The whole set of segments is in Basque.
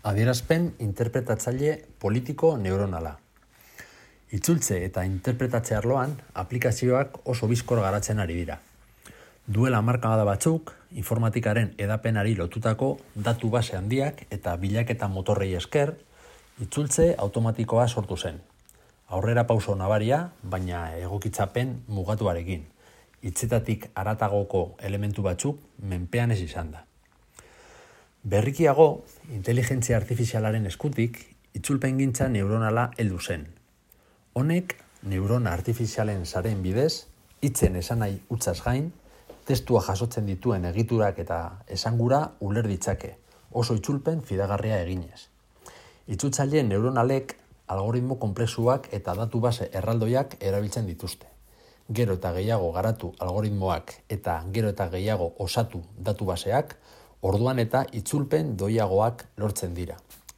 Adierazpen interpretatzaile politiko neuronala. Itzultze eta interpretatze arloan aplikazioak oso bizkor garatzen ari dira. Duela hamarkada batzuk, informatikaren edapenari lotutako datu base handiak eta bilaketa motorrei esker, itzultze automatikoa sortu zen. Aurrera pauso nabaria, baina egokitzapen mugatuarekin. Hitzetatik haratagoko elementu batzuk menpean ez izan da. Berrikiago, inteligentzia artifizialaren eskutik, itzulpengintza neuronala heldu zen. Honek, neurona artifizialen sareen bidez, hitzen esanahi hutsaz gain, testua jasotzen dituen egiturak eta esangura uler ditzake, oso itzulpen fidagarria eginez. Itzultzaileen neuronalek algoritmo konplexuak eta datu base erraldoiak erabiltzen dituzte. Gero eta gehiago garatu algoritmoak eta gero eta gehiago osatu datu baseak, orduan eta itzulpen doiagoak lortzen dira.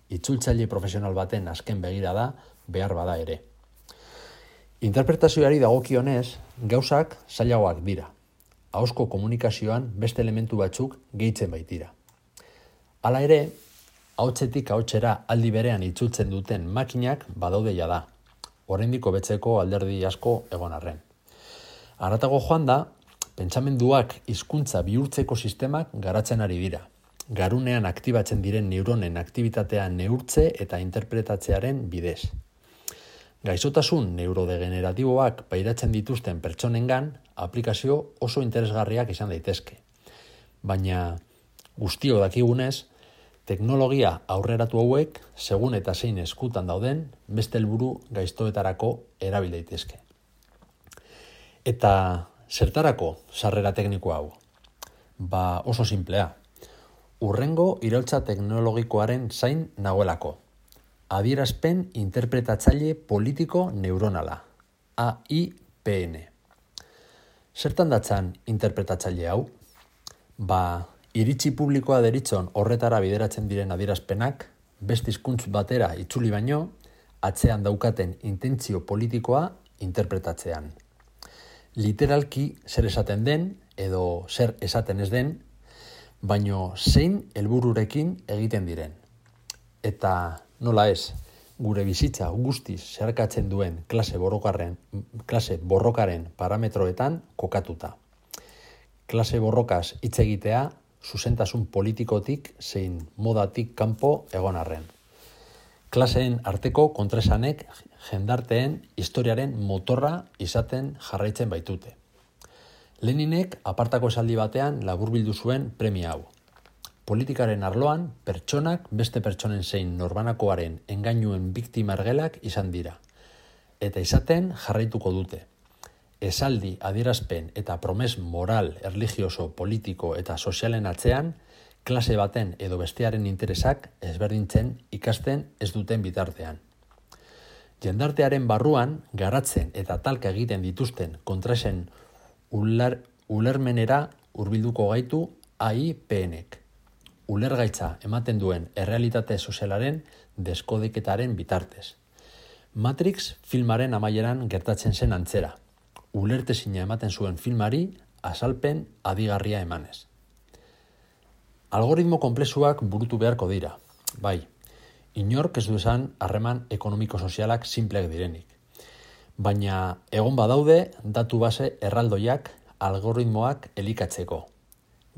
Itzultzaile profesional baten azken begirada behar bada ere. Interpretazioari dagokionez, gauzak zailagoak dira. Ahozko komunikazioan beste elementu batzuk gehitzen baitira. Hala ere, ahotsetik ahotsera aldi berean itzultzen duten makinak badaude jada. Oraindik hobetzeko alderdi asko egon arren. Haratago joan da, pentsamenduak hizkuntza bihurtzeko sistemak garatzen ari dira. Garunean aktibatzen diren neuronen aktibitatea neurtze eta interpretatzearen bidez. Gaixotasun neurodegeneratiboak pairatzen dituzten pertsonengan aplikazio oso interesgarriak izan daitezke. Baina guztiok dakigunez, teknologia aurreratu hauek segun eta zein eskutan dauden beste helburu gaiztoetarako erabil daitezke. Eta zertarako sarrera tekniko hau? Oso simplea. Hurrengo iraultza teknologikoaren zain nagoelako. Adierazpen interpretatzaile politiko neuronala. AIPN. Zertan datzan interpretatzaile hau? Iritzi publikoa deritzon horretara bideratzen diren adierazpenak, beste hizkuntz batera itzuli baino, atzean daukaten intentzio politikoa interpretatzean. Literalki zer esaten den edo zer esaten ez den, baino zein helbururekin egiten diren. Eta nola ez, gure bizitza guztiz zeharkatzen duen klase borrokaren parametroetan kokatuta. Klase borrokaz hitz egitea zuzentasun politikotik zein modatik kanpo egon arren. Klaseen arteko kontraesanek jendarteen historiaren motorra izaten jarraitzen baitute. Leninek apartako esaldi batean laburbildu zuen premia hau. Politikaren arloan, pertsonak beste pertsonen zein norbanakoaren engainuen biktima ergelak izan dira. Eta izaten jarraituko dute. Esaldi, adierazpen eta promes moral, erlijioso, politiko eta sozialen atzean, klase baten edo bestearen interesak ezberdintzen ikasten ez duten bitartean. Jendartearen barruan garatzen eta talka egiten dituzten kontraesen ulermenera hurbilduko gaitu AIPNek. Ulergaitza ematen duen errealitate sozialaren deskodeketaren bitartez. Matrix filmaren amaieran gertatzen zen antzera. Ulertezina ematen zuen filmari azalpen adigarria emanez. Algoritmo konplexuak burutu beharko dira. Bai, inork ez du esan harreman ekonomiko-sozialak simpleak direnik. Baina egon badaude datu base erraldoiak algoritmoak elikatzeko.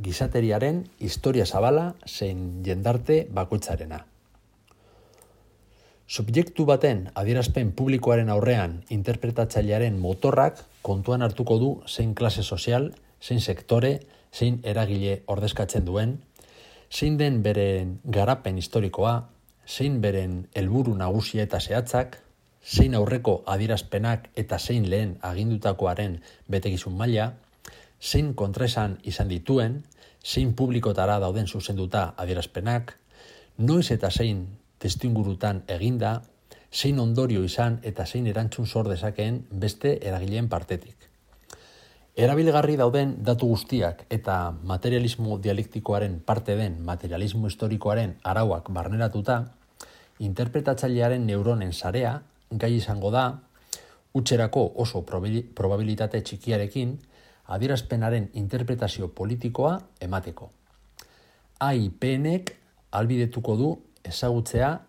Gizateriaren historia zabala zein jendarte bakoitzarena. Subjektu baten adierazpen publikoaren aurrean interpretatzailearen motorrak kontuan hartuko du zein klase sozial, zein sektore, zein eragile ordezkatzen duen, zein den beren garapen historikoa, zein beren helburu nagusia eta zehatzak, zein aurreko adierazpenak eta zein lehen agindutakoaren betekizun maila, zein kontraesan izan dituen, zein publikotara dauden zuzenduta adierazpenak, noiz eta zein testuingurutan eginda, zein ondorio izan eta zein erantzun sor dezakeen beste eragileen partetik. Erabilgarri dauden datu guztiak eta materialismo dialektikoaren parte den materialismo historikoaren arauak barneratuta, interpretatzailearen neuronen sarea gai izango da, hutserako oso probabilitate txikiarekin, adierazpenaren interpretazio politikoa emateko. AIPNek ahalbidetuko du ezagutzea,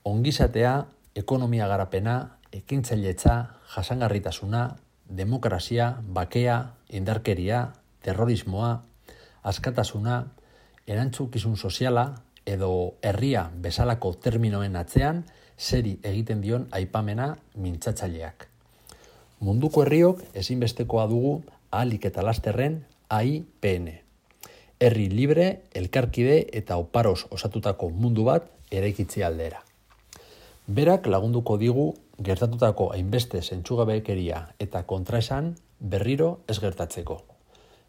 ongizatea, ekonomia garapena, ekintzailetza, jasangarritasuna, demokrazia, bakea, indarkeria, terrorismoa, askatasuna, erantzukizun soziala edo herria bezalako terminoen atzean zeri egiten dion aipamena mintzatzaileak. Munduko herriok ezinbestekoa dugu ahalik eta lasterren AIPN. Herri libre, elkarkide eta oparoz osatutako mundu bat eraikitzi aldera. Berak lagunduko digu gertatutako hainbeste zentzugabekeria eta kontraesan berriro ez gertatzeko.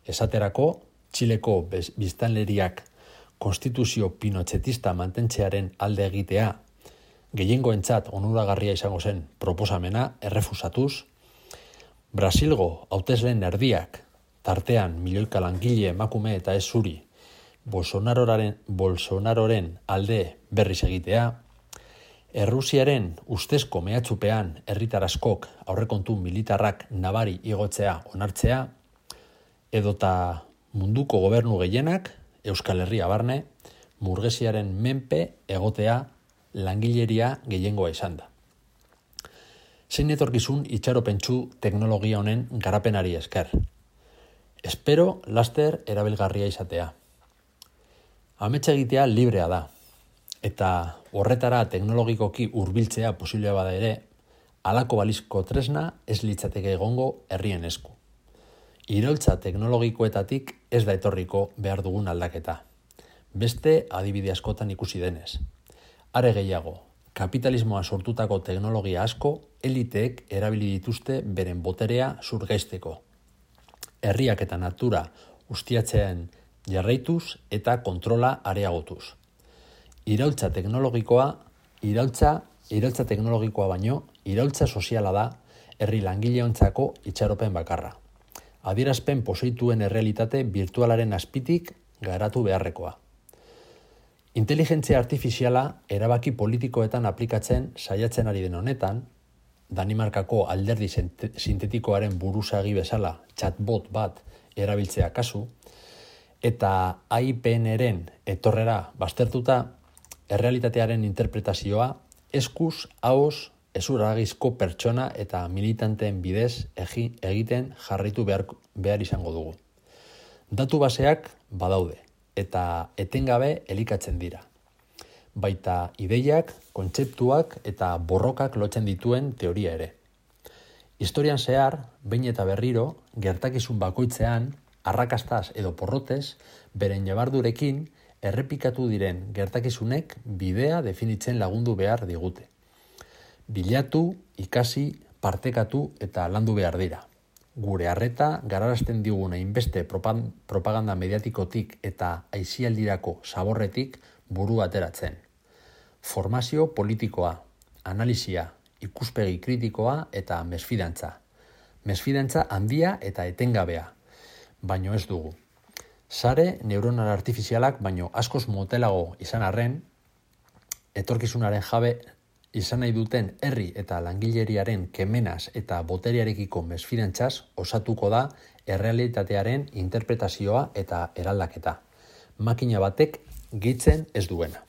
Esaterako, Txileko biztanleriak konstituzio pinotxetista mantentzearen alde egitea, gehiengoentzat onuragarria izango zen proposamena errefusatuz, Brasilgo hautesleen erdiak, tartean milioika langile, emakume eta ez zuri, Bolsonaroren alde berriz egitea, Errusiaren ustezko mehatxupean herritar askok aurrekontu militarrak nabari igotzea onartzea, edota munduko gobernu gehienak, Euskal Herria barne, burgesiaren menpe egotea langileria gehiengoa izan da. Zein etorkizun itxaropentsu teknologia honen garapenari esker. Espero laster erabilgarria izatea. Ametsa egitea librea da, eta horretara teknologikoki hurbiltzea posiblea bada ere, halako balizko tresna ez litzateke egongo herrien esku. Iraultza teknologikoetatik ez da etorriko behar dugun aldaketa. Beste adibide askotan ikusi denez. Are gehiago, kapitalismoa sortutako teknologia asko eliteek erabili dituzte beren boterea zurgaizteko. Herriak eta natura ustiatzean jarraituz eta kontrola areagotuz. Iraultza teknologikoa baino, iraultza soziala da herri langileontzako itxaropen bakarra. Adierazpen pozoituen errealitate virtualaren azpitik garatu beharrekoa. Inteligentzia artifiziala erabaki politikoetan aplikatzen saiatzen ari den honetan, Danimarkako alderdi sintetikoaren buruzagi bezala chatbot bat erabiltzea kasu, eta AIPN-eren etorrera baztertuta, errealitatearen interpretazioa eskuz, ahoz, ezurragizko pertsona eta militanteen bidez egiten jarraitu behar izango dugu. Datu baseak badaude eta etengabe elikatzen dira. Baita ideiak, kontzeptuak eta borrokak lotzen dituen teoria ere. Historian zehar, behin eta berriro, gertakizun bakoitzean, arrakastaz edo porrotez, beren jabardurekin errepikatu diren gertakizunek bidea definitzen lagundu behar digute. Bilatu, ikasi, partekatu eta landu behar dira. Gure harreta gararazten digun hainbeste propaganda mediatikotik eta aisialdirako zaborretik buru ateratzen. Formazio politikoa, analisia, ikuspegi kritikoa eta mesfidantza. Mesfidantza handia eta etengabea, baino ez dugu. Sare neuronal artifizialak baino askoz motelago izan arren, etorkizunaren jabe izan nahi duten herri eta langileriaren kemenaz eta boteriarekiko mesfidantzaz osatuko da errealitatearen interpretazioa eta eraldaketa. Makina batek gehitzen ez duena.